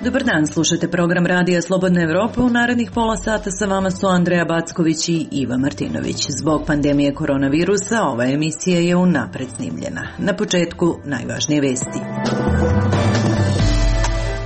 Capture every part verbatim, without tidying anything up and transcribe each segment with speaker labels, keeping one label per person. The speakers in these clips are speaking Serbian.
Speaker 1: Dobar dan, slušate program Radija Slobodna Evropa. U narednih pola sata sa vama su Andreja Backović i Iva Martinović. Zbog pandemije koronavirusa ova emisija je unapred snimljena. Na početku najvažnije vesti.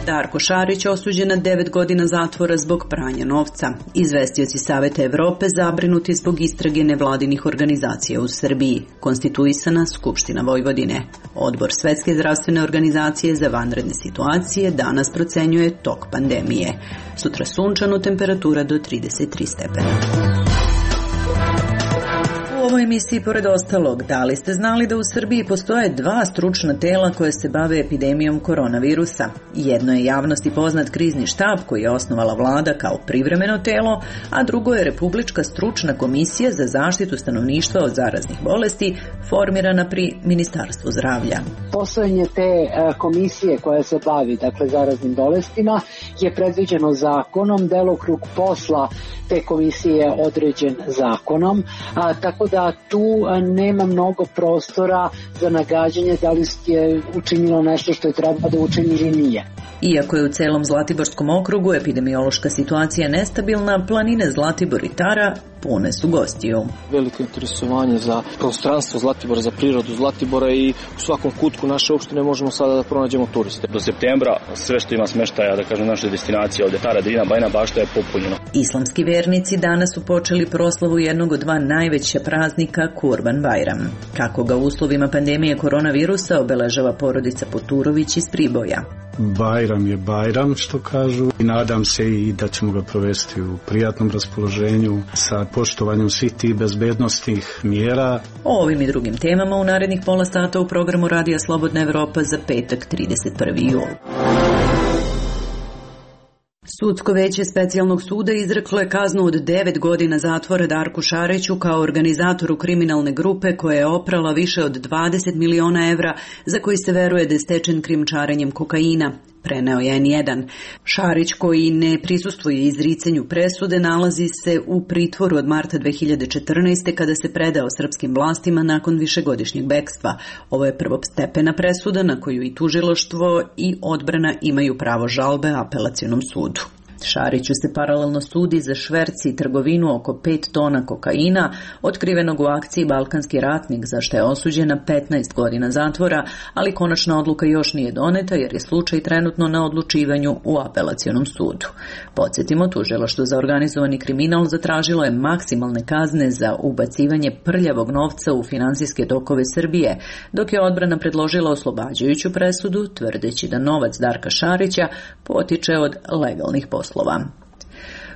Speaker 1: Darko Šarić osuđen na devet godina zatvora zbog pranja novca. Izvestioci Saveta Evrope zabrinuti zbog istrage nevladinih organizacija u Srbiji. Konstituisana Skupština Vojvodine. Odbor Svetske zdravstvene organizacije za vanredne situacije danas procenjuje tok pandemije. Sutra sunčano, temperatura do trideset tri stepena. U ovoj emisiji, pored ostalog, da li ste znali da u Srbiji postoje dva stručna tela koje se bave epidemijom koronavirusa? Jedno je javnosti poznat krizni štab koji je osnovala vlada kao privremeno telo, a drugo je Republička stručna komisija za zaštitu stanovništva od zaraznih bolesti formirana pri Ministarstvu zdravlja.
Speaker 2: Postojanje te komisije koja se bavi, dakle, zaraznim bolestima je predviđeno zakonom, delokrug posla te komisije je određen zakonom, a, tako da tu nema mnogo prostora za nagađanje da li je učinilo nešto što je treba da učini ili nije.
Speaker 1: Iako je u celom Zlatiborskom okrugu epidemiološka situacija nestabilna, planine Zlatibor i Tara pune su gostiju.
Speaker 3: Veliko interesovanje za prostranstvo Zlatibora, za prirodu Zlatibora i u svakom kutku naše opštine možemo sada da pronađemo turiste.
Speaker 4: Do septembra sve što ima smeštaja, da kažem, naše destinacije ovde Tara, Drina, Bajina Bašta je popunjeno.
Speaker 1: Islamski vernici danas su počeli proslavu jednog od dva najveća praznika, Kurban Bajram. Kako ga u uslovima pandemije koronavirusa obeležava porodica Poturović iz Priboja.
Speaker 5: Bajram je Bajram, što kažu, i nadam se i da ćemo ga provesti u prijatnom raspoloženju sa poštovanjem svih tih bezbednostnih mjera.
Speaker 1: O ovim i drugim temama u narednih pola sata u programu Radija Slobodna Evropa za petak trideset prvi jul. Sudsko veće specijalnog suda izreklo je kaznu od devet godina zatvora Darku Šariću kao organizatoru kriminalne grupe koja je oprala više od dvadeset miliona evra za koji se veruje da je stečen krijumčarenjem kokaina. Preneo je en jedan. Šarić, koji ne prisustvuje izricanju presude, nalazi se u pritvoru od marta dve hiljade četrnaeste. kada se predao srpskim vlastima nakon višegodišnjeg bekstva. Ovo je prvostepena presuda na koju i tužilaštvo i odbrana imaju pravo žalbe apelacionom sudu. Šariću se paralelno sudi za šverc i trgovinu oko pet tona kokaina, otkrivenog u akciji Balkanski ratnik, za što je osuđen na petnaest godina zatvora, ali konačna odluka još nije doneta jer je slučaj trenutno na odlučivanju u apelacionom sudu. Podsjetimo, tužilaštvo za organizovani kriminal zatražilo je maksimalne kazne za ubacivanje prljavog novca u finansijske tokove Srbije, dok je odbrana predložila oslobađajuću presudu, tvrdeći da novac Darka Šarića potiče od legalnih poslova.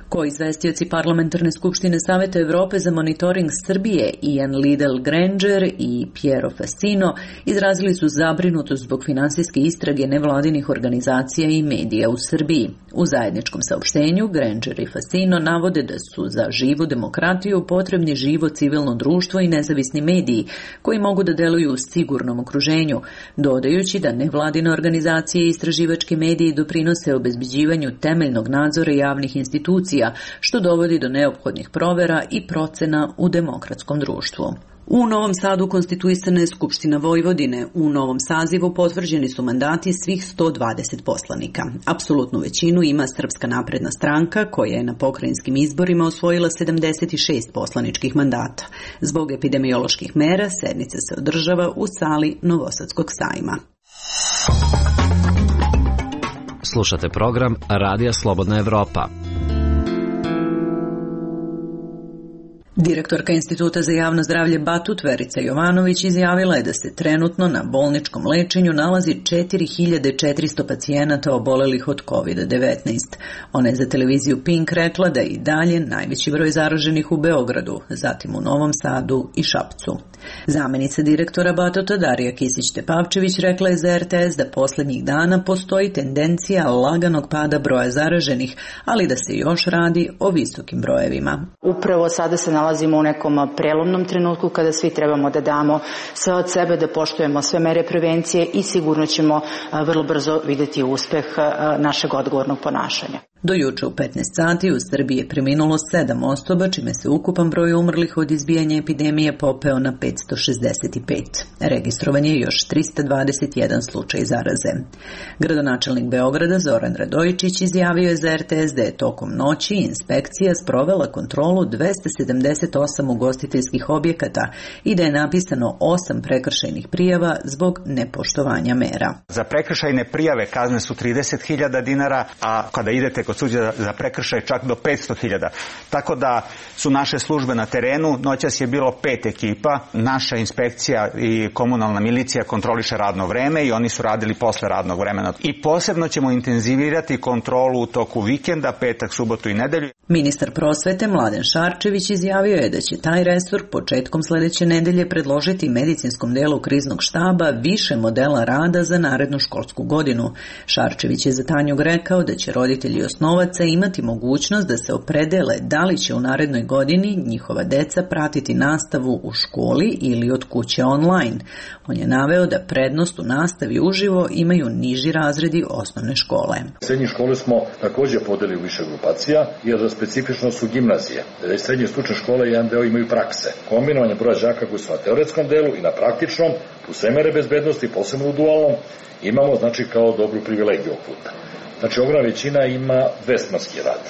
Speaker 1: Koizvestioci Parlamentarne skupštine Saveta Evrope za monitoring Srbije Ian Liddell-Granger i Piero Fassino izrazili su zabrinutost zbog finansijske istrage nevladinih organizacija i medija u Srbiji. U zajedničkom saopštenju Granger i Fassino navode da su za živu demokratiju potrebni živo civilno društvo i nezavisni mediji koji mogu da deluju u sigurnom okruženju, dodajući da nevladine organizacije i istraživački mediji doprinose obezbeđivanju temeljnog nadzora javnih institucija, što dovodi do neophodnih provera i procena u demokratskom društvu. U Novom Sadu konstituisana je Skupština Vojvodine. U novom sazivu potvrđeni su mandati svih sto dvadeset poslanika. Apsolutnu većinu ima Srpska napredna stranka, koja je na pokrajinskim izborima osvojila sedamdeset šest poslaničkih mandata. Zbog epidemioloških mera sednica se održava u sali Novosadskog sajma.
Speaker 6: Slušate program Radija Slobodna Evropa.
Speaker 1: Direktorka Instituta za javno zdravlje Batut Verica Jovanović izjavila je da se trenutno na bolničkom lečenju nalazi četiri hiljade četiristo pacijenata obolelih od kovid devetnaest. Ona je za televiziju Pink rekla da je i dalje najveći broj zaraženih u Beogradu, zatim u Novom Sadu i Šapcu. Zamenica direktora Batuta Darija Kisić-Tepavčević rekla je za er te es da poslednjih dana postoji tendencija laganog pada broja zaraženih, ali da se još radi o visokim brojevima.
Speaker 7: Upravo sada se nalazimo u nekom prelomnom trenutku kada svi trebamo da damo sve od sebe, da poštujemo sve mere prevencije i sigurno ćemo vrlo brzo videti uspeh našeg odgovornog ponašanja.
Speaker 1: Do juče u petnaest sati u Srbiji je preminulo sedam osoba, čime se ukupan broj umrlih od izbijanja epidemije popeo na petsto šezdeset pet. Registrovan je još trista dvadeset jedan slučaj zaraze. Gradonačelnik Beograda Zoran Radojičić izjavio je za er te es da je tokom noći inspekcija sprovela kontrolu dvesta sedamdeset osam ugostiteljskih objekata i da je napisano osam prekršajnih prijava zbog nepoštovanja mera.
Speaker 8: Za prekršajne prijave kazne su trideset hiljada dinara, a kada idete kod suđa za prekršaj čak do petsto hiljada. Tako da su naše službe na terenu, noćas je bilo pet ekipa, naša inspekcija i komunalna milicija kontroliše radno vreme i oni su radili posle radnog vremena. I posebno ćemo intenzivirati kontrolu u toku vikenda, petak, subotu i nedelju.
Speaker 1: Ministar prosvete Mladen Šarčević izjavio je da će taj resor početkom sledeće nedelje predložiti medicinskom delu kriznog štaba više modela rada za narednu školsku godinu. Šarčević je za Tanjug rekao da će roditelji osnovaca imati mogućnost da se opredele da li će u narednoj godini njihova deca pratiti nastavu u školi ili od kuće online. On je naveo da prednost u nastavi uživo imaju niži razredi osnovne škole.
Speaker 9: Srednje škole smo također podelili u više grupacija, jer specifično su gimnazije. Srednje stručne škole jedan deo imaju prakse. Kombinovanje broja đaka koji su na teoretskom delu i na praktičnom, plus sve mere bezbednosti, posebno u dualnom, imamo znači kao dobru privilegiju ovog puta. Znači ogromna većina ima dvesmanski rad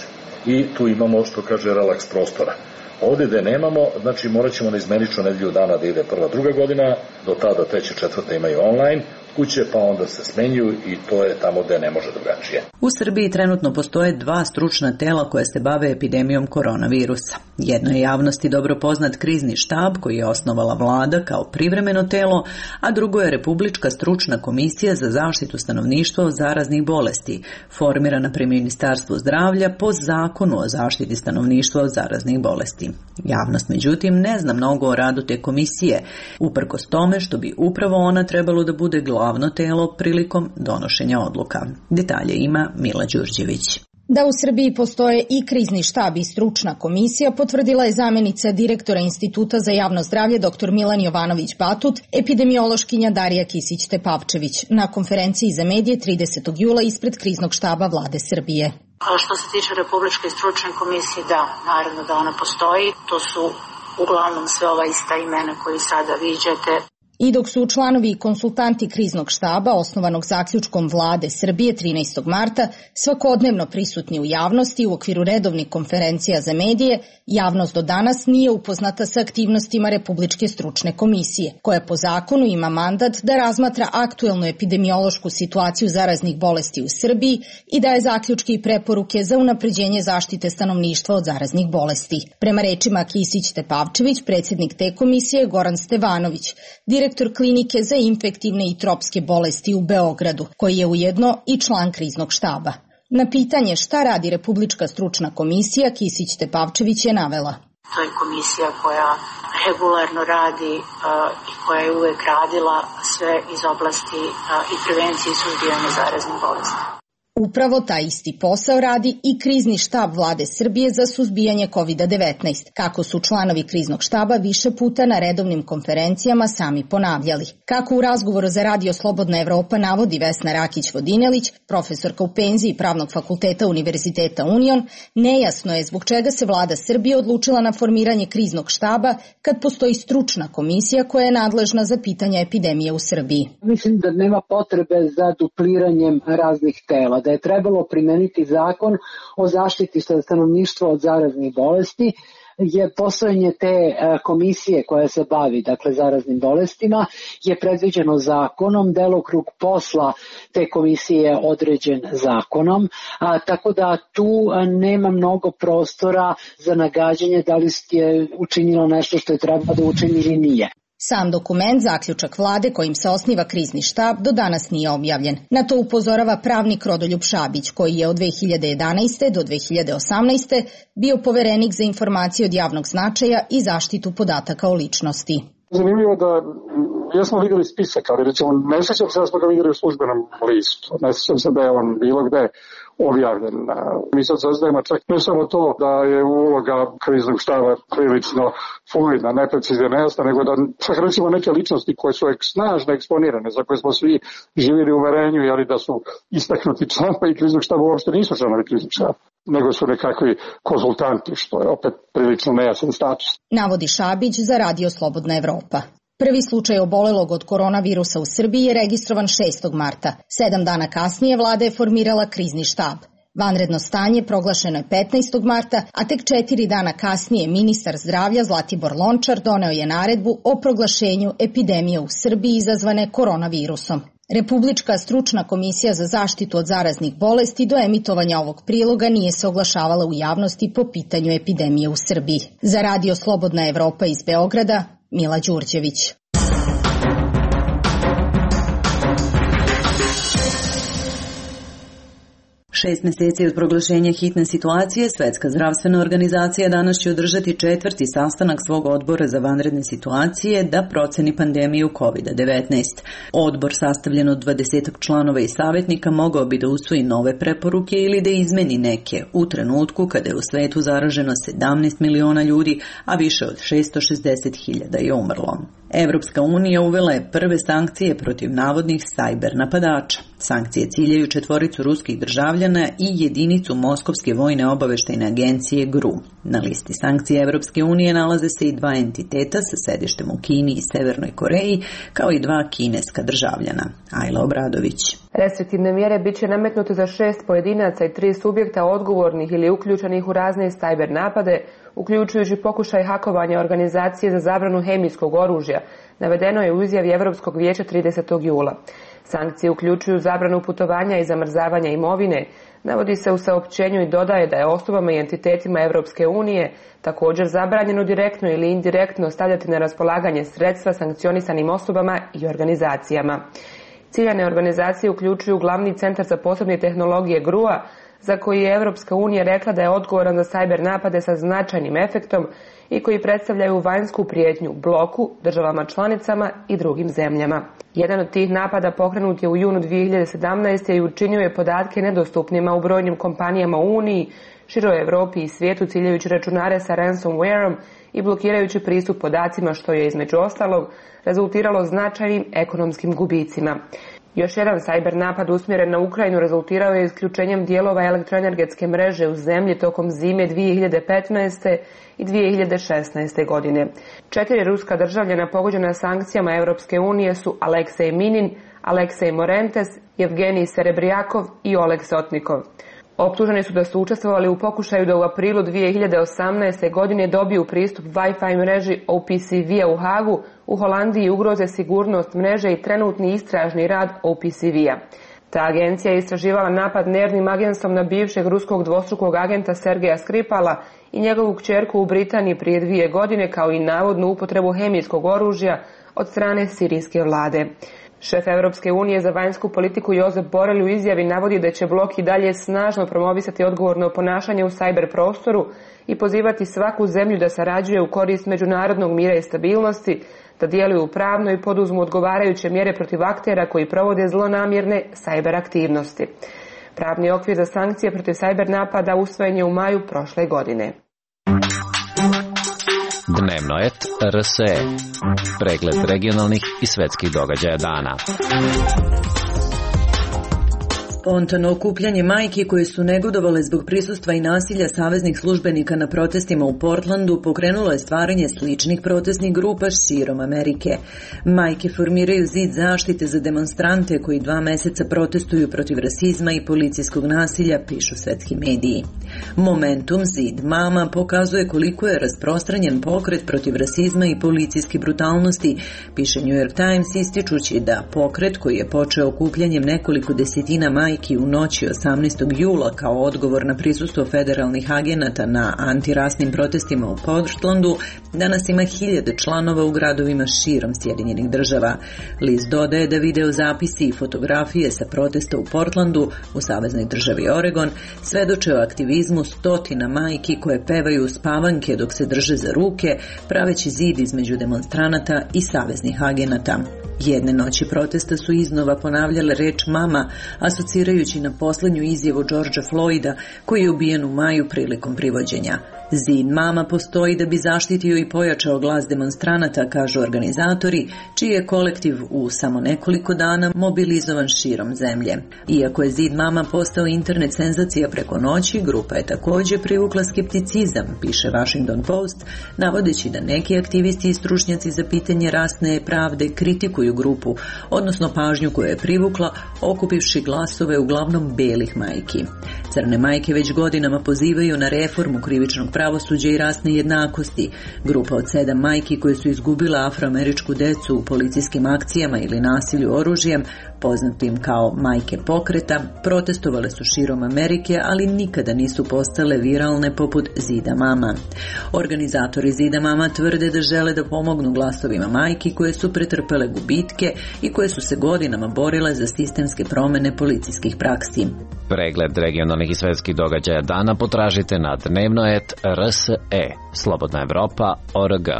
Speaker 9: i tu imamo što kaže relaks prostora. Ovdje gde nemamo, znači morat ćemo na izmenično nedelju dana da ide prva, druga godina, do tada treća, četvrta imaju online kuće, pa onda se smenjuju i to je tamo gde ne može drugačije.
Speaker 1: U Srbiji trenutno postoje dva stručna tela koje se bave epidemijom koronavirusa. Jedno je javnosti dobro poznat krizni štab koji je osnovala vlada kao privremeno telo, a drugo je Republička stručna komisija za zaštitu stanovništva od zaraznih bolesti, formirana pri Ministarstvu zdravlja po zakonu o zaštiti stanovništva od zaraznih bolesti. Javnost, međutim, ne zna mnogo o radu te komisije, uprkos tome što bi upravo ona trebalo da bude glavno telo prilikom donošenja odluka. Detalje ima Mila Đurđević.
Speaker 10: Da u Srbiji postoje i krizni štab i stručna komisija potvrdila je zamenica direktora Instituta za javno zdravlje dr Milan Jovanović-Batut, epidemiološkinja Darija Kisić-Tepavčević na konferenciji za medije tridesetog jula ispred kriznog štaba vlade Srbije.
Speaker 11: A što se tiče Republičke stručne komisije, da, naravno da ona postoji. To su uglavnom sve ova ista imena koji sada viđate.
Speaker 10: I dok su članovi i konsultanti kriznog štaba, osnovanog zaključkom vlade Srbije trinaestog marta, svakodnevno prisutni u javnosti u okviru redovnih konferencija za medije, javnost do danas nije upoznata sa aktivnostima Republičke stručne komisije, koja po zakonu ima mandat da razmatra aktuelnu epidemiološku situaciju zaraznih bolesti u Srbiji i daje zaključke i preporuke za unapređenje zaštite stanovništva od zaraznih bolesti. Prema rečima Kisić-Tepavčević, predsjednik te komisije Goran Stevanović, direktor klinike za infektivne i tropske bolesti u Beogradu, koji je ujedno i član kriznog štaba. Na pitanje šta radi Republička stručna komisija, Kisić-Tepavčević je navela.
Speaker 11: To je komisija koja regularno radi uh, i koja je uvek radila sve iz oblasti uh, i prevencije i suzbijanja zaraznih bolesti.
Speaker 10: Upravo taj isti posao radi i krizni štab vlade Srbije za suzbijanje kovid devetnaest, kako su članovi kriznog štaba više puta na redovnim konferencijama sami ponavljali. Kako u razgovoru za Radio Slobodna Evropa navodi Vesna Rakić-Vodinelić, profesorka u penziji Pravnog fakulteta Univerziteta Union, nejasno je zbog čega se vlada Srbije odlučila na formiranje kriznog štaba kad postoji stručna komisija koja je nadležna za pitanja epidemije u Srbiji.
Speaker 2: Mislim da nema potrebe za dupliranjem raznih tela, da je trebalo primeniti zakon o zaštiti stanovništva od zaraznih bolesti, je postojanje te komisije koja se bavi dakle zaraznim bolestima je predviđeno zakonom, delokrug posla te komisije je određen zakonom, a, tako da tu nema mnogo prostora za nagađanje da li je učinilo nešto što je treba da učini ili nije.
Speaker 10: Sam dokument, zaključak vlade kojim se osniva krizni štab, do danas nije objavljen. Na to upozorava pravnik Rodoljub Šabić, koji je od dve hiljade jedanaeste. do dve hiljade osamnaeste. bio poverenik za informacije od javnog značaja i zaštitu podataka o ličnosti.
Speaker 12: Zanimljivo da jesmo vidjeli spisak, ali recimo ne sjećam se da smo ga vidjeli u službenom listu. Ne sjećam se da je on bilo gde objavljen. Mi sad saznajemo čak ne samo to da je uloga kriznog štaba prilično fluidna, neprecizna, nejasna, nego da čak recimo neke ličnosti koje su snažno eksponirane, za koje smo svi živjeli u uverenju, jeli da su istaknuti članovi kriznog štaba, uopšte nisu članovi kriznog štaba, nego su nekakvi konzultanti, što je opet prilično nejasan status.
Speaker 10: Navodi Šabić za Radio Slobodna Evropa. Prvi slučaj obolelog od koronavirusa u Srbiji je registrovan šestog marta. Sedam dana kasnije vlada je formirala krizni štab. Vanredno stanje proglašeno je petnaestog marta, a tek četiri dana kasnije ministar zdravlja Zlatibor Lončar doneo je naredbu o proglašenju epidemije u Srbiji izazvane koronavirusom. Republička stručna komisija za zaštitu od zaraznih bolesti do emitovanja ovog priloga nije se oglašavala u javnosti po pitanju epidemije u Srbiji. Za Radio Slobodna Evropa iz Beograda, Mila Đurđević.
Speaker 1: Šest meseci od proglašenja hitne situacije, Svetska zdravstvena organizacija danas će održati četvrti sastanak svog odbora za vanredne situacije da proceni pandemiju kovid devetnaest. Odbor sastavljen od dvadesetak članova i savjetnika mogao bi da usvoji nove preporuke ili da izmeni neke u trenutku kada je u svetu zaraženo sedamnaest miliona ljudi, a više od šesto šezdeset hiljada je umrlo. Evropska unija uvela je prve sankcije protiv navodnih sajber napadača. Sankcije ciljaju četvoricu ruskih državljana i jedinicu Moskovske vojne obaveštajne agencije G R U. Na listi sankcija Evropske unije nalaze se i dva entiteta sa sedištem u Kini i Severnoj Koreji, kao i dva kineska državljana. Ajla Obradović.
Speaker 13: Restriktivne mjere bit će nametnute za šest pojedinaca i tri subjekta odgovornih ili uključenih u razne sajber napade, uključujući pokušaj hakovanja organizacije za zabranu hemijskog oružja, navedeno je u izjavi Evropskog vijeća tridesetog jula. Sankcije uključuju zabranu putovanja i zamrzavanja imovine, navodi se u saopćenju i dodaje da je osobama i entitetima Evropske unije također zabranjeno direktno ili indirektno stavljati na raspolaganje sredstva sankcionisanim osobama i organizacijama. Ciljane organizacije uključuju glavni centar za posebne tehnologije G R U-a, za koji je Evropska unija rekla da je odgovoran za sajber napade sa značajnim efektom i koji predstavljaju vanjsku prijetnju bloku, državama članicama i drugim zemljama. Jedan od tih napada pokrenut je u junu dvije hiljade sedamnaeste. i učinio je podatke nedostupnima u brojnim kompanijama u Uniji, široj Evropi i svijetu ciljajući računare sa ransomwareom i blokirajući pristup podacima, što je između ostalog rezultiralo značajnim ekonomskim gubicima. Još jedan sajber napad usmjeren na Ukrajinu rezultirao je isključenjem dijelova elektroenergetske mreže u zemlji tokom zime dvije hiljade petnaeste. i dvije hiljade šesnaeste. godine. Četiri ruska državljana pogođena sankcijama Evropske unije su Aleksej Minin, Aleksej Morentes, Evgenij Serebrijakov i Oleg Sotnikov. Optuženi su da su učestvovali u pokušaju da u aprilu dvije hiljade osamnaeste. godine dobiju pristup Wi-Fi mreži O P C V-a u Hagu, u Holandiji ugroze sigurnost mreže i trenutni istražni rad O P C V-a. Ta agencija je istraživala napad nervnim agentstvom na bivšeg ruskog dvostrukog agenta Sergeja Skripala i njegovu kćerku u Britaniji prije dvije godine, kao i navodnu upotrebu hemijskog oružja od strane sirijske vlade. Šef Evropske unije za vanjsku politiku Josep Borrell u izjavi navodi da će blok i dalje snažno promovisati odgovorno ponašanje u sajber prostoru i pozivati svaku zemlju da sarađuje u korist međunarodnog mira i stabilnosti, da djeluju pravno i poduzmu odgovarajuće mjere protiv aktera koji provode zlonamjerne sajber aktivnosti. Pravni okvir za sankcije protiv sajber napada usvojen je u maju prošle godine.
Speaker 6: Dnevnoet R S E. Pregled regionalnih i svetskih događaja dana.
Speaker 1: Spontano okupljanje majki koje su negodovale zbog prisustva i nasilja saveznih službenika na protestima u Portlandu pokrenulo je stvaranje sličnih protestnih grupa širom Amerike. Majke formiraju zid zaštite za demonstrante koji dva meseca protestuju protiv rasizma i policijskog nasilja, pišu svetski mediji. Momentum zid mama pokazuje koliko je rasprostranjen pokret protiv rasizma i policijske brutalnosti, piše New York Times, ističući da pokret koji je počeo okupljanjem nekoliko desetina majki u noći osamnaestog jula kao odgovor na prisustvo federalnih agenata na antirasnim protestima u Portlandu, danas ima hiljade članova u gradovima širom Sjedinjenih država. List dodaje da video zapisi i fotografije sa protesta u Portlandu, u saveznoj državi Oregon, svedoče o aktivizmu stotina majki koje pevaju spavanke dok se drže za ruke, praveći zid između demonstranata i saveznih agenata. Jedne noći protesta su iznova ponavljale reč mama, asocirajući na poslednju izjavu Georgea Floyda, koji je ubijen u maju prilikom privođenja. Zid mama postoji da bi zaštitio i pojačao glas demonstranata, kažu organizatori, čiji je kolektiv u samo nekoliko dana mobilizovan širom zemlje. Iako je Zid mama postao internet senzacija preko noći, grupa je također privukla skepticizam, piše Washington Post, navodeći da neki aktivisti i stručnjaci za pitanje rasne pravde kritikuju grupu, odnosno pažnju koju je privukla, okupivši glasove uglavnom belih majki. Crne majke već godinama pozivaju na reformu krivičnog pravosuđa i rasne jednakosti. Grupa od sedam majki koje su izgubila afroameričku decu u policijskim akcijama ili nasilju oružjem, poznatim kao majke pokreta, protestovale su širom Amerike, ali nikada nisu postale viralne poput Zida mama. Organizatori Zida mama tvrde da žele da pomognu glasovima majki koje su pretrpele gubitke i koje su se godinama borile za sistemske promene policijskih praksi.
Speaker 6: Pregled regionalnih i svetskih događaja dana potražite na dnevnoet R S E, Slobodna Evropa, O R G.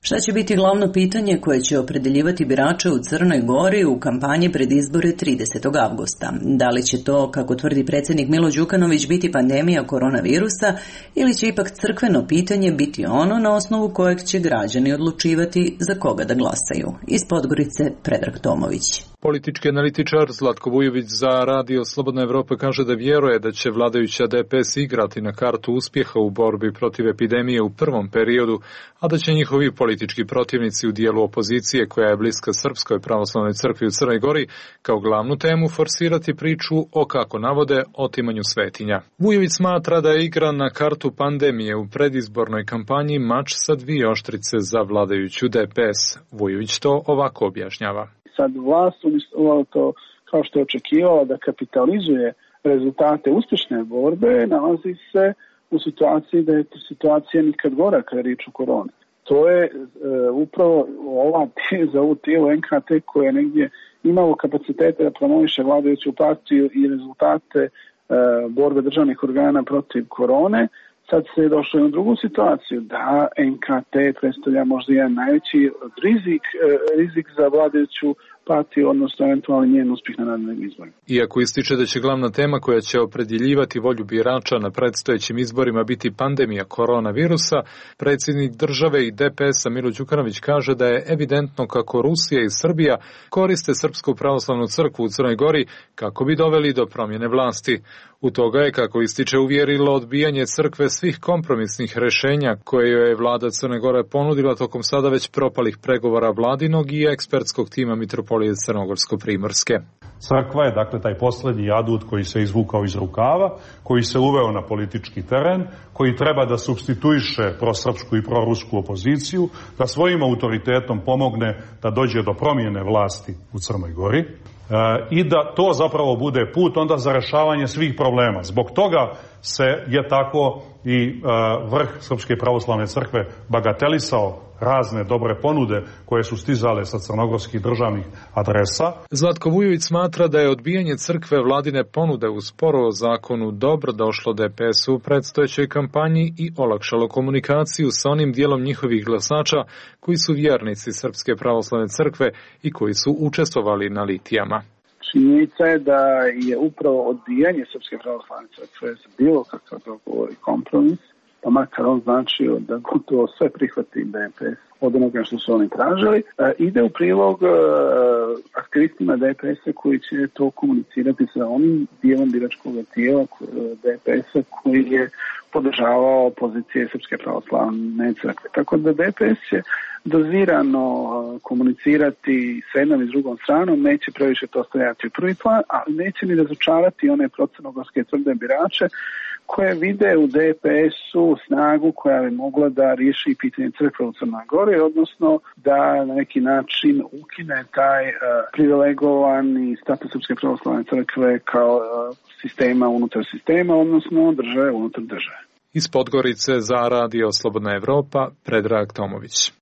Speaker 1: Šta će biti glavno pitanje koje će opredeljivati birače u Crnoj Gori u kampanji pred izbore tridesetog avgusta? Da li će to, kako tvrdi predsjednik Milo Đukanović, biti pandemija koronavirusa ili će ipak crkveno pitanje biti ono na osnovu kojeg će građani odlučivati za koga da glasaju? Iz Podgorice, Predrag Tomović.
Speaker 14: Politički analitičar Zlatko Vujović za Radio Slobodna Evropa kaže da vjeruje da će vladajuća D P S igrati na kartu uspjeha u borbi protiv epidemije u prvom periodu, a da će njihovi politički protivnici u dijelu opozicije koja je bliska Srpskoj pravoslavnoj crkvi u Crnoj Gori kao glavnu temu forsirati priču o, kako navode, otimanju svetinja. Vujović smatra da je igra na kartu pandemije u predizbornoj kampanji mač sa dvije oštrice za vladajuću D P S. Vujović to ovako objašnjava.
Speaker 15: Sad vlast umjesto to, kao što je očekivala da kapitalizuje rezultate uspješne borbe, nalazi se u situaciji da je situacija nikad gora kada je riječ o koroni. To je e, upravo ova za ovu tijelo N K T koje je negdje imalo kapacitete da promoviše vladajuću partiju i rezultate e, borbe državnih organa protiv korone. Sad se je došlo u drugu situaciju da N K T predstavlja možda jedan najveći rizik, rizik za vladajuću partiju, odnosno eventualni njen uspjeh na narednim izborima.
Speaker 14: Iako ističe da će glavna tema koja će opredjeljivati volju birača na predstojećim izborima biti pandemija koronavirusa, predsjednik države i D P S-a Milo Đukanović kaže da je evidentno kako Rusija i Srbija koriste Srpsku pravoslavnu crkvu u Crnoj Gori kako bi doveli do promjene vlasti. U toga je, kako ističe, uvjerilo odbijanje crkve svih kompromisnih rješenja koje joj je vlada Crne Gore ponudila tokom sada već propalih pregovora vladinog i ekspertskog tima Mitropolije Crnogorsko-Primorske.
Speaker 16: Crkva je, dakle, taj posljednji adut koji se izvukao iz rukava, koji se uveo na politički teren, koji treba da supstituiše prosrpsku i prorusku opoziciju, da svojim autoritetom pomogne da dođe do promjene vlasti u Crnoj Gori. I da to zapravo bude put onda za rešavanje svih problema. Zbog toga se je tako i vrh Srpske pravoslavne crkve bagatelisao razne dobre ponude koje su stizale sa crnogorskih državnih adresa.
Speaker 14: Zlatko Vujović smatra da je odbijanje crkve vladine ponude u sporu o zakonu dobro došlo D P S-u u predstojećoj kampanji i olakšalo komunikaciju sa onim dijelom njihovih glasača koji su vjernici Srpske pravoslavne crkve i koji su učestvovali na litijama.
Speaker 15: Činjenica je da je upravo odbijanje Srpske pravoslavne crkve za bilo kakav dogovor i kompromis, pa makar on značio da gotovo sve prihvati D P S od onoga što su oni tražili, ide u prilog aktivistima D P S-a koji će to komunicirati sa onim dijelom biračkog tijela D P S-a koji je podržavao pozicije Srpske pravoslavne crkve. Tako da D P S će dozirano komunicirati s jednom i s drugom stranom, neće previše to stajati u prvi plan, ali neće ni razočarati one procrnogorske tvrde birače koje vide u D P S-u snagu koja bi mogla da riješi pitanje crkve u Crnoj Gori, odnosno da na neki način ukine taj uh, privilegovani status Srpske pravoslavne crkve kao uh, sistema unutar sistema, odnosno države unutar države.
Speaker 14: Iz Podgorice za Radio Slobodna Evropa, Predrag Tomović.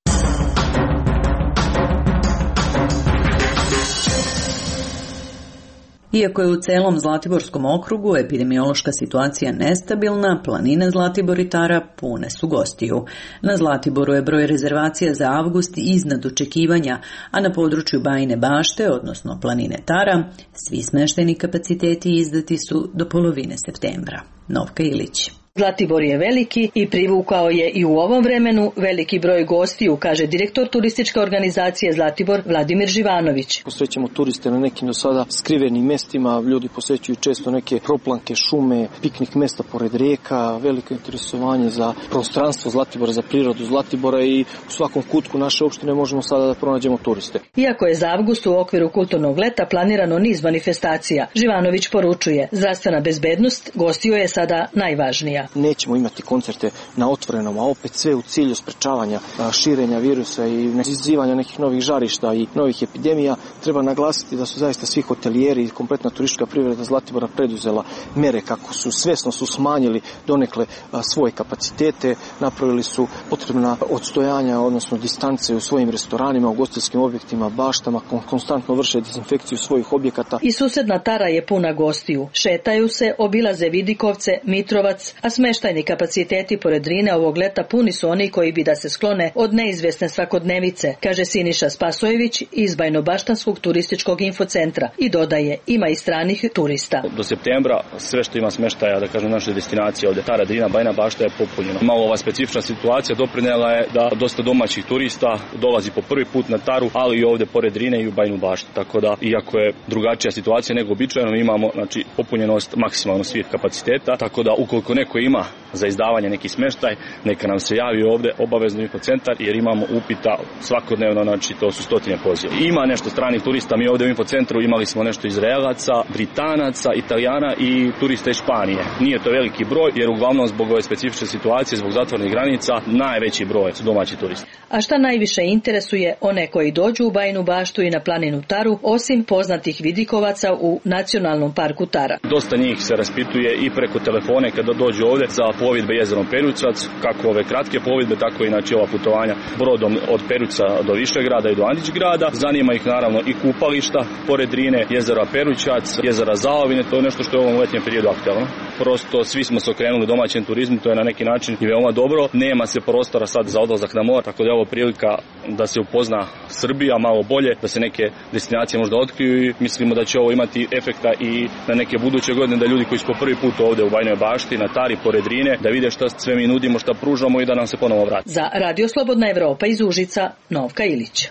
Speaker 1: Iako je u celom Zlatiborskom okrugu epidemiološka situacija nestabilna, planine Zlatibor i Tara pune su gostiju. Na Zlatiboru je broj rezervacija za avgust iznad očekivanja, a na području Bajine Bašte, odnosno planine Tara, svi smeštajni kapaciteti izdati su do polovine septembra. Novka Ilić.
Speaker 17: Zlatibor je veliki i privukao je i u ovom vremenu veliki broj gostiju, kaže direktor turističke organizacije Zlatibor Vladimir Živanović.
Speaker 3: Posrećemo turiste na nekim do sada skrivenim mestima, ljudi posjećuju često neke proplanke, šume, piknik mesta pored rijeka, veliko interesovanje za prostranstvo Zlatibora, za prirodu Zlatibora i u svakom kutku naše opštine možemo sada da pronađemo turiste.
Speaker 17: Iako je za avgust u okviru kulturnog leta planirano niz manifestacija, Živanović poručuje, zdravstvena bezbednost gostiju je sada najvažnija.
Speaker 3: Nećemo imati koncerte na otvorenom, a opet sve u cilju sprečavanja širenja virusa i izazivanja nekih novih žarišta i novih epidemija. Treba naglasiti da su zaista svi hotelijeri i kompletna turistička privreda Zlatibora preduzela mere kako su svesno su smanjili donekle svoje kapacitete, napravili su potrebna odstojanja, odnosno distance u svojim restoranima, u ugostiteljskim objektima, baštama, konstantno vrše dezinfekciju svojih objekata.
Speaker 17: I susedna Tara je puna gostiju. Šetaju se, obilaze Vidikovce, Mitrovac, a smeštajni kapaciteti pored Drine ovog leta puni su oni koji bi da se sklone od neizvesne svakodnevice, kaže Siniša Spasojević iz Bajnobaštanskog turističkog infocentra i dodaje, ima i stranih turista.
Speaker 4: Do septembra sve što ima smeštaja, da kažem, naše destinacije ovde, Tara, Drina, Bajna Bašta je popunjeno. Malo ova specifična situacija doprinela je da dosta domaćih turista dolazi po prvi put na Taru, ali i ovde pored Drine i u Bajnu Baštu. Tako da, iako je drugačija situacija nego običajno, imamo znači popunjenost maksimalno svih kapaciteta, tako da ukoliko neko ima za izdavanje neki smeštaj, neka nam se javi ovde obavezno infocentar, jer imamo upita svakodnevno, znači to su stotine poziva. Ima nešto stranih turista, mi ovde u infocentru imali smo nešto Izraelaca, Britanaca, Italijana i turista iz Španije. Nije to veliki broj, jer uglavnom zbog ove specifične situacije, zbog zatvorenih granica, najveći broj su domaći turisti.
Speaker 17: A šta najviše interesuje one koji dođu u Bajinu Baštu i na planinu Taru, osim poznatih vidikovaca u Nacionalnom parku Tara?
Speaker 4: Dosta njih se raspituje i preko telefone kada dođu ovde za plovidbe jezerom Perućac, kako ove kratke plovidbe, tako i znači ova putovanja brodom od Peruća do Višegrada i do Andićgrada. Zanima ih naravno i kupališta pored Drine, jezera Perućac, jezera Zaovine, to je nešto što je u ovom letnjem periodu aktualno. Prosto svi smo se okrenuli domaćem turizmu, to je na neki način i veoma dobro. Nema se prostora sad za odlazak na more, tako da je ovo prilika da se upozna Srbija malo bolje, da se neke destinacije možda otkriju i mislimo da će ovo imati efekta i na neke buduće godine, da ljudi koji su po prvi put ovde u Bajnoj Bašti, na Tari, pored Drine, da vide šta sve mi nudimo, šta pružamo i da nam se ponovo vrati.
Speaker 17: Za Radio Slobodna Evropa iz Užica, Novka Ilić.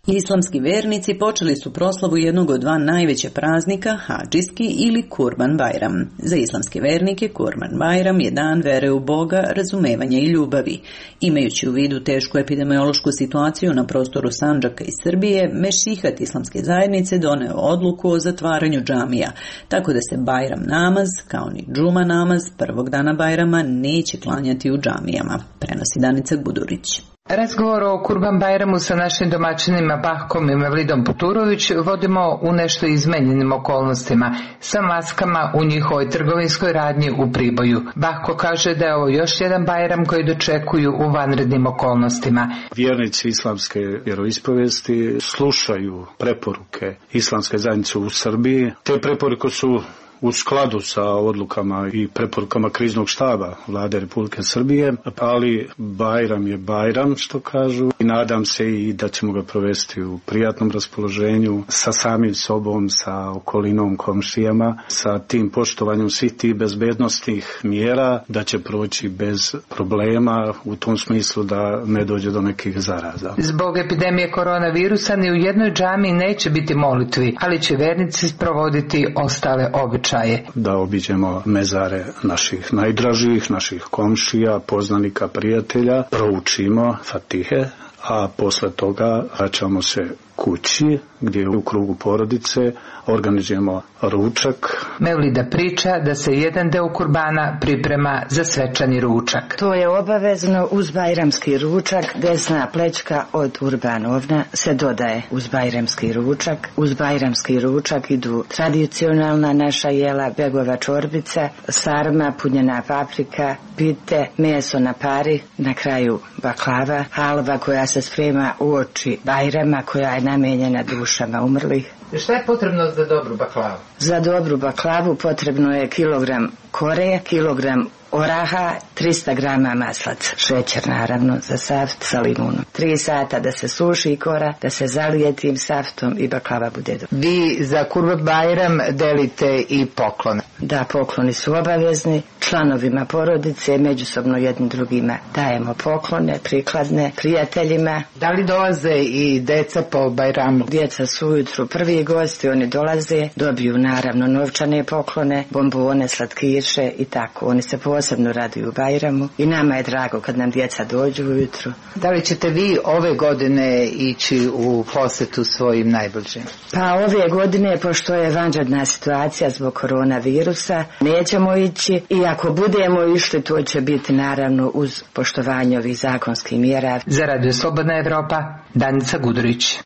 Speaker 1: Islamski vernici počeli su proslavu jednog od dva najveća praznika, Hadžijski ili Kurban Bajram. Za islamske vernike Kurban Bajram je dan vere u Boga, razumevanja i ljubavi. Imajući u vidu tešku epidemiološku situaciju na prostoru Sandžaka i Srbije, Mešihat islamske zajednice doneo odluku o zatvaranju džamija, tako da se Bajram namaz, kao ni džuma namaz, prvog dana Bajrama neće klanjati u džamijama, prenosi Danica Gudurić.
Speaker 18: Razgovor o Kurban Bajramu sa našim domaćinima Bahkom i Mevlidom Puturović vodimo u nešto izmenjenim okolnostima, sa maskama u njihovoj trgovinskoj radnji u Priboju. Bahko kaže da je ovo još jedan Bajram koji dočekuju u vanrednim okolnostima.
Speaker 5: Vjernici islamske vjeroispovesti slušaju preporuke islamske zajednice u Srbiji. Te preporuke su u skladu sa odlukama i preporukama kriznog štaba Vlade Republike Srbije, ali Bajram je Bajram, što kažu, i nadam se i da ćemo ga provesti u prijatnom raspoloženju sa samim sobom, sa okolinom, komšijama, sa tim poštovanjem svih tih bezbednostnih mjera, da će proći bez problema u tom smislu da ne dođe do nekih zaraza.
Speaker 18: Zbog epidemije koronavirusa ni u jednoj džamiji neće biti molitvi, ali će vernici sprovoditi ostale običaje.
Speaker 5: Da obiđemo mezare naših najdražih, naših komšija, poznanika, prijatelja, proučimo Fatihe, a posle toga vraćamo se kući gdje u krugu porodice organizujemo ručak.
Speaker 18: Mevlida priča da se jedan deo kurbana priprema za svečani ručak.
Speaker 19: To je obavezno uz bajramski ručak. Desna plećka od urbanovna se dodaje uz bajramski ručak. Uz bajramski ručak idu tradicionalna naša jela, begova čorbica, sarma, punjena paprika, pite, meso na pari, na kraju baklava, halva koja se sprema uoči Bajrama, koja je namijenjena dušama umrlih.
Speaker 18: Šta je potrebno za dobru baklavu?
Speaker 19: Za dobru baklavu potrebno je kilogram kore, kilogram oraha, trista grama maslaca, šećer naravno za saft sa limunom. Tri sata da se suši kora, da se zalije tim saftom i baklava bude dobra.
Speaker 18: Vi za Kurban Bajram delite i poklone?
Speaker 19: Da, pokloni su obavezni. Članovima porodice, međusobno jednim drugima dajemo poklone, prikladne, prijateljima.
Speaker 18: Da li dolaze i deca po Bajramu?
Speaker 19: Djeca su ujutru prvi gosti, oni dolaze, dobiju naravno novčane poklone, bombone, slatkiše i tako. Oni se posebno raduju Bajramu i nama je drago kad nam djeca dođu ujutru.
Speaker 18: Da li ćete vi ove godine ići u posetu svojim najbližim?
Speaker 19: Pa ove godine, pošto je vanredna situacija zbog koronavirusa, nećemo ići i ako budemo išli, to će biti naravno uz poštovanje ovih zakonskih mjera.
Speaker 18: Za Radio Slobodna Evropa, Danica Gudurić.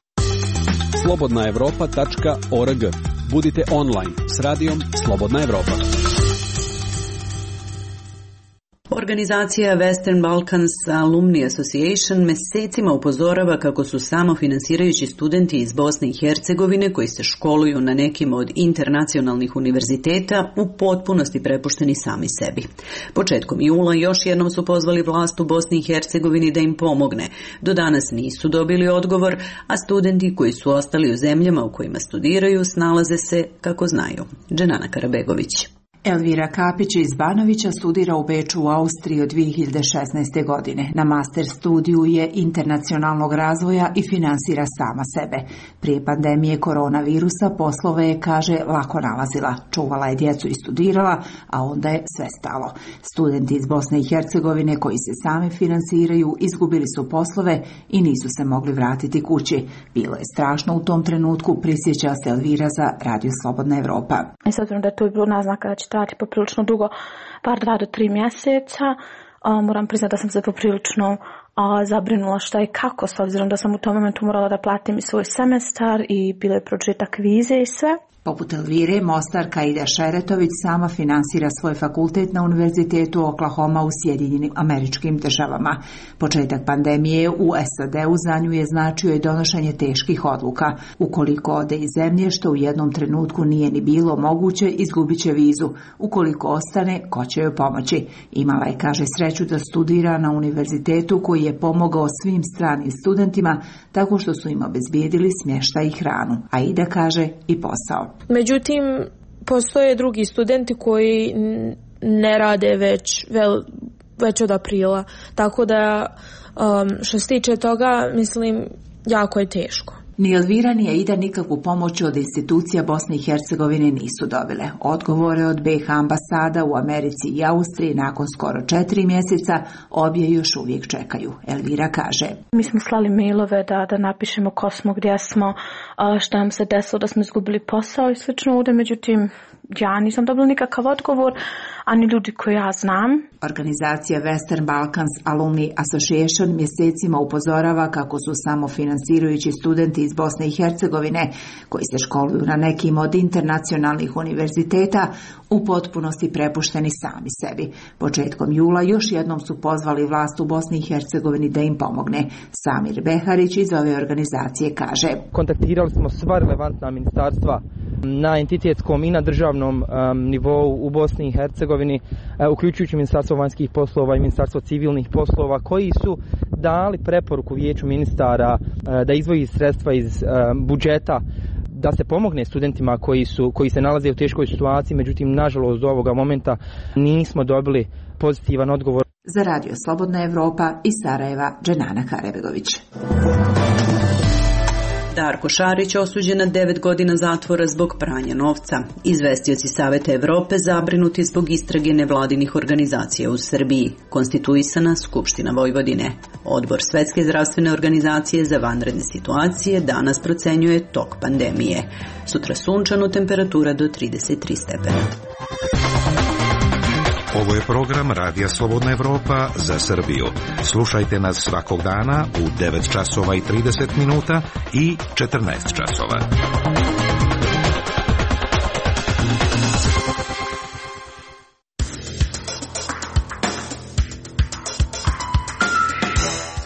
Speaker 20: slobodna evropa tačka org. Budite online s radijom Slobodna Evropa.
Speaker 1: Organizacija Western Balkans Alumni Association mesecima upozorava kako su samofinansirajući studenti iz Bosne i Hercegovine koji se školuju na nekim od internacionalnih univerziteta u potpunosti prepušteni sami sebi. Početkom jula još jednom su pozvali vlast u Bosni i Hercegovini da im pomogne. Do danas nisu dobili odgovor, a studenti koji su ostali u zemljama u kojima studiraju snalaze se kako znaju. Dženana Karabegović.
Speaker 21: Elvira Kapić iz Banovića studira u Beču u Austriji od dvije hiljade šesnaeste. godine. Na master studiju je internacionalnog razvoja i finansira sama sebe. Prije pandemije koronavirusa poslove je, kaže, lako nalazila. Čuvala je djecu i studirala, a onda je sve stalo. Studenti iz Bosne i Hercegovine koji se sami finansiraju izgubili su poslove i nisu se mogli vratiti kući. Bilo je strašno u tom trenutku, prisjeća se Elvira za Radio Slobodna Evropa.
Speaker 22: I s obzirom da je to bilo naznaka da će trajati poprilično dugo, par dva do tri mjeseca, a, moram priznati da sam se poprilično a, zabrinula šta i kako, s obzirom da sam u tom momentu morala da platim i svoj semestar i bilo je početak vize i sve.
Speaker 21: Poput Elvire, Mostarka Ida Šeretović sama finansira svoj fakultet na Univerzitetu Oklahoma u Sjedinjenim Američkim Državama. Početak pandemije u S A D-u za nju je značio i donošenje teških odluka. Ukoliko ode iz zemlje, što u jednom trenutku nije ni bilo moguće, izgubit će vizu. Ukoliko ostane, ko će joj pomoći? Imala je, kaže, sreću da studira na univerzitetu koji je pomogao svim stranim studentima tako što su im obezbijedili smještaj i hranu. A Ida kaže i posao.
Speaker 23: Međutim, postoje drugi studenti koji ne rade već, već od aprila. Tako da, um, što se tiče toga, mislim, jako je teško.
Speaker 21: Ni Elvira ni Aida nikakvu pomoć od institucija Bosne i Hercegovine nisu dobile. Odgovore od B iH ambasada u Americi i Austriji nakon skoro četiri mjeseca obje još uvijek čekaju. Elvira kaže:
Speaker 22: Mi smo slali mailove da, da napišemo ko smo, gdje smo, šta nam se desilo, da smo izgubili posao i slično ovdje, međutim ja nisam dobila nikakav odgovor, ani ljudi koji ja znam.
Speaker 21: Organizacija Western Balkans Alumni Association mjesecima upozorava kako su samofinansirajući studenti iz Bosne i Hercegovine koji se školuju na nekim od internacionalnih univerziteta u potpunosti prepušteni sami sebi. Početkom jula još jednom su pozvali vlast u Bosni i Hercegovini da im pomogne. Samir Beharić iz ove organizacije kaže:
Speaker 24: Kontaktirali smo sva relevantna ministarstva na entitetskom i na državnom um, nivou u Bosni i Hercegovini, uh, uključujući Ministarstvo vanjskih poslova i Ministarstvo civilnih poslova, koji su dali preporuku Vijeću ministara uh, da izdvoji sredstva iz uh, budžeta da se pomogne studentima koji su koji se nalaze u teškoj situaciji, međutim nažalost do ovoga momenta nismo dobili pozitivan odgovor.
Speaker 21: Za Radio Slobodna Evropa iz Sarajeva, Dženana Karabegović.
Speaker 1: Darko Šarić osuđen na devet godina zatvora zbog pranja novca. Izvestioci Saveta Evrope zabrinuti zbog istrage nevladinih organizacija u Srbiji. Konstituisana Skupština Vojvodine. Odbor Svetske zdravstvene organizacije za vanredne situacije danas procenjuje tok pandemije. Sutra sunčano, temperatura do trideset tri stepena.
Speaker 25: Ovo je program Radija Slobodna Evropa za Srbiju. Slušajte nas svakog dana u devet časova i trideset minuta i četrnaest časova.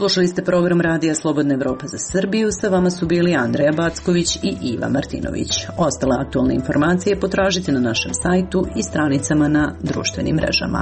Speaker 1: Slušali ste program Radija Slobodna Evropa za Srbiju, sa vama su bili Andreja Backović i Iva Martinović. Ostale aktualne informacije potražite na našem sajtu i stranicama na društvenim mrežama.